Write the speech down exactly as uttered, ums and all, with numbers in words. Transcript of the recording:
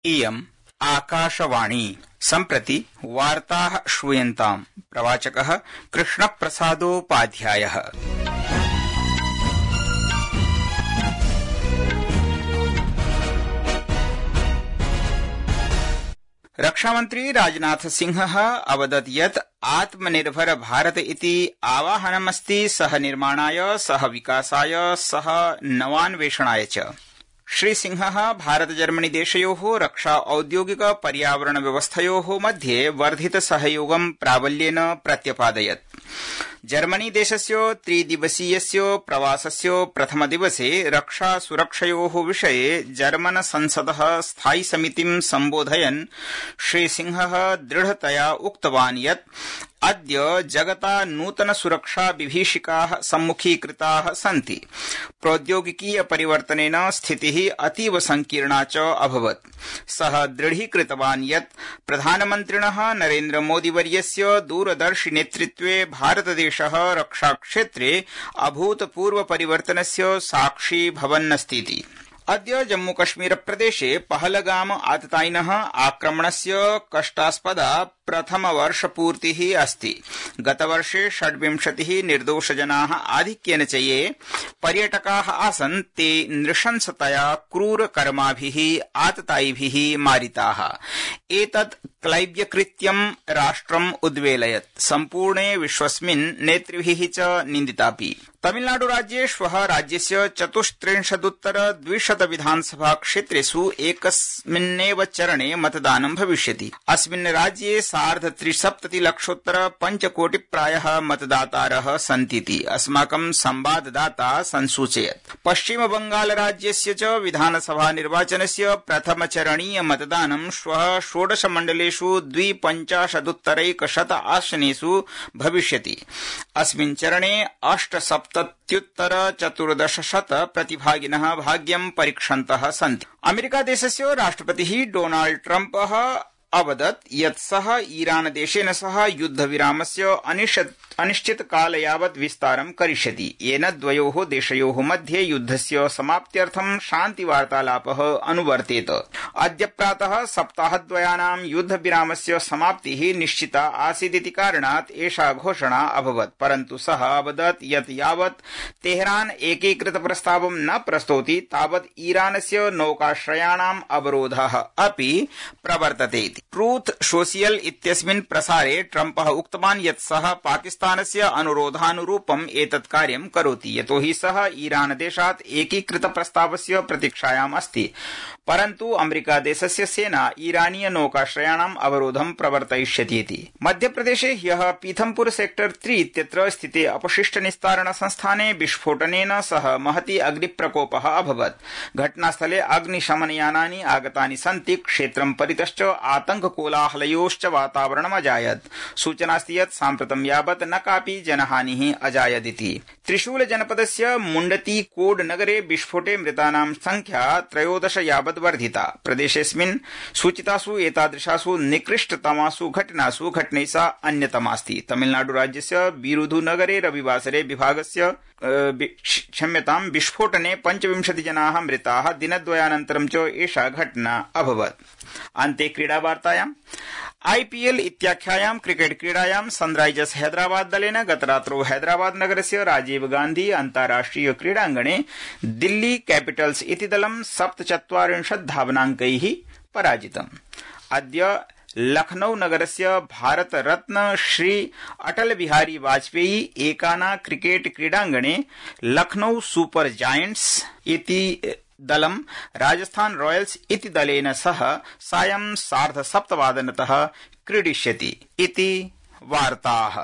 इयम् आकाशवाणी सम्प्रति वार्ताः श्रूयन्ताम्। प्रवाचकः कृष्णप्रसादोपाध्यायः। रक्षामन्त्री राजनाथ सिंहः अवदत् यत् आत्मनिर्भर भारत इति आवाहनमस्ति सह निर्माणाय, सह विकासाय, सह नवान्वेषणाय च। श्रीसिंहः भारत जर्मनी देशयोः रक्षा औद्योगिक पर्यावरण व्यवस्थयोः मध्ये वर्धित सहयोगं प्राबल्येन प्रत्यपादयत्। जर्मनी देशस्य त्रिदिवसीयस्य प्रवासस्य प्रथमदिवसे रक्षा सुरक्षयोः विषये जर्मन संसदः स्थायि समितिं सम्बोधयन् श्रीसिंहः दृढतया उक्तवान् यत् अद्य जगता नूतन सुरक्षा विभीषिकाः सम्मुखीकृताः सन्ति। प्रौद्योगिकीय परिवर्तनेन स्थितिः अतीव संकीर्णा च अभवत्। सः दृढीकृतवान् यत् प्रधानमन्त्रिणः नरेन्द्र मोदीवर्यस्य दूरदर्शि नेतृत्वे भारतदेशः रक्षाक्षेत्रे अभूतपूर्व परिवर्तनस्य साक्षी भवन्नस्तीति। अद्य जम्मूकश्मीर प्रदेशे पहलगाम आततायिनः आक्रमणस्य कष्टास्पदा प्रथमवर्षपूर्तिः अस्ति। गतवर्षे षड्विंशतिः निर्दोषजनाः आधिक्येन च ये पर्यटकाः आसन् ते नृशंसतया क्रूरकर्माभिः आततायिभिः मारिताः। एतत् क्लैब्यकृत्यं राष्ट्रम् उद्वेलयत्। सम्पूर्णे विश्वस्मिन् नेतृभिः च निन्दितापि। तमिलनाडुराज्ये श्वः राज्यस्य चतुस्त्रिंशदुत्तर द्विशत विधानसभा क्षेत्रेषु एकस्मिन्नेव चरणे मतदानं भविष्यति। अस्मिन् राज्ये सार्ध त्रिसप्तति लक्षोत्तर पञ्चकोटि प्रायः मतदातारः सन्तीति अस्माकं संवाददाता संसूचयत्। पश्चिम बंगाल राज्यस्य च विधानसभा निर्वाचनस्य प्रथमचरणीय मतदानं श्वः षोडश मण्डलेषु द्विपञ्चाशदुत्तरैकशत आसनेषु भविष्यति। अस्मिन् चरणे अष्टसप्तत्युत्तर चतुर्दशशत प्रतिभागिनः भाग्यं परीक्षन्तः सन्ति। अमेरिकादेशस्य राष्ट्रपतिः डोनाल्ड ट्रम्पः अवदत् यत् सः ईरान देशेन सह युद्धविरामस्य अनिश्चितकाल यावत् विस्तारं करिष्यति, येन द्वयोः देशयोः मध्ये युद्धस्य समाप्त्यर्थं शान्तिवार्तालापः अनुवर्तेत। अद्य प्रातः सप्ताहद्वयानां युद्धविरामस्य समाप्तिः निश्चिता आसीदिति कारणात् एषा घोषणा अभवत्, परन्तु सः अवदत् यत् यावत् तेहरान एकीकृत प्रस्तावं न प्रस्तौति तावत् ईरानस्य नौकाश्रयाणाम् अवरोधः अपि प्रवर्तते। ट्रूथ सोशियल इत्यस्मिन् प्रसारे ट्रम्पः उक्तवान् यत् सः पाकिस्तानस्य अनुरोधानुरूपम् एतत् कार्यं करोति, यतोहि सः ईरान देशात् एकीकृत प्रस्तावस्य प्रतीक्षायाम् अस्ति। परन्तु अमेरिकादेशस्य सेना ईरानीय नौकाश्रयाणाम् अवरोधं प्रवर्तयिष्यतीति। मध्यप्रदेशे ह्यः पीथमपुर सेक्टर त्रि इत्यत्र स्थिते अपशिष्ट निस्तारण संस्थाने विस्फोटनेन सह महती अग्निप्रकोपः अभवत्। घटनास्थले अग्निशमनयानानि आगतानि सन्ति। क्षेत्रं परितश्च आतंककोलाहलयोश्च वातावरणमजायत्। सूचनास्ति यत् साम्प्रतं यावत् न कापि जनहानिः अजायदिति। त्रिशूल जनपदस्य मुण्डती कोड नगरे विस्फोटे मृतानां संख्या त्रयोदश यावत् वर्धिता। प्रदेशेऽस्मिन् सूचितासु एतादृशासु निकृष्टतमासु घटनासु घटनैसा अन्यतमास्ति। तमिलनाडुराज्यस्य बिरुधुनगरे रविवासरे विभागस्य क्षम्यतां विस्फोटने पञ्चविंशति जनाः मृताः। दिनद्वयानन्तरं च एषा घटना अभवत्। अन्ते क्रीडावार्तायाम् आईपीएल इत्याख्यायां क्रिकेट क्रीडायां सनराइजर्स हैदराबाद दलेन गतरात्रौ हैदराबाद नगरस्य राजीव गांधी अन्ताराष्ट्रिय क्रीडाङ्गणे दिल्ली कैपिटल्स इति दलं सप्तचत्वारिंशत् धावनाङ्कैः पराजितम्। अद्य लखनऊ नगरस्य भारत रत्न श्री अटल बिहारी वाजपेयी एकाना क्रिकेट क्रीडाङ्गणे लखनऊ सुपर जायंट्स इति दलं राजस्थान रॉयल्स इति दलेन सह सायं सार्ध सप्तवादनतः क्रीडिष्यति इति वार्ताः।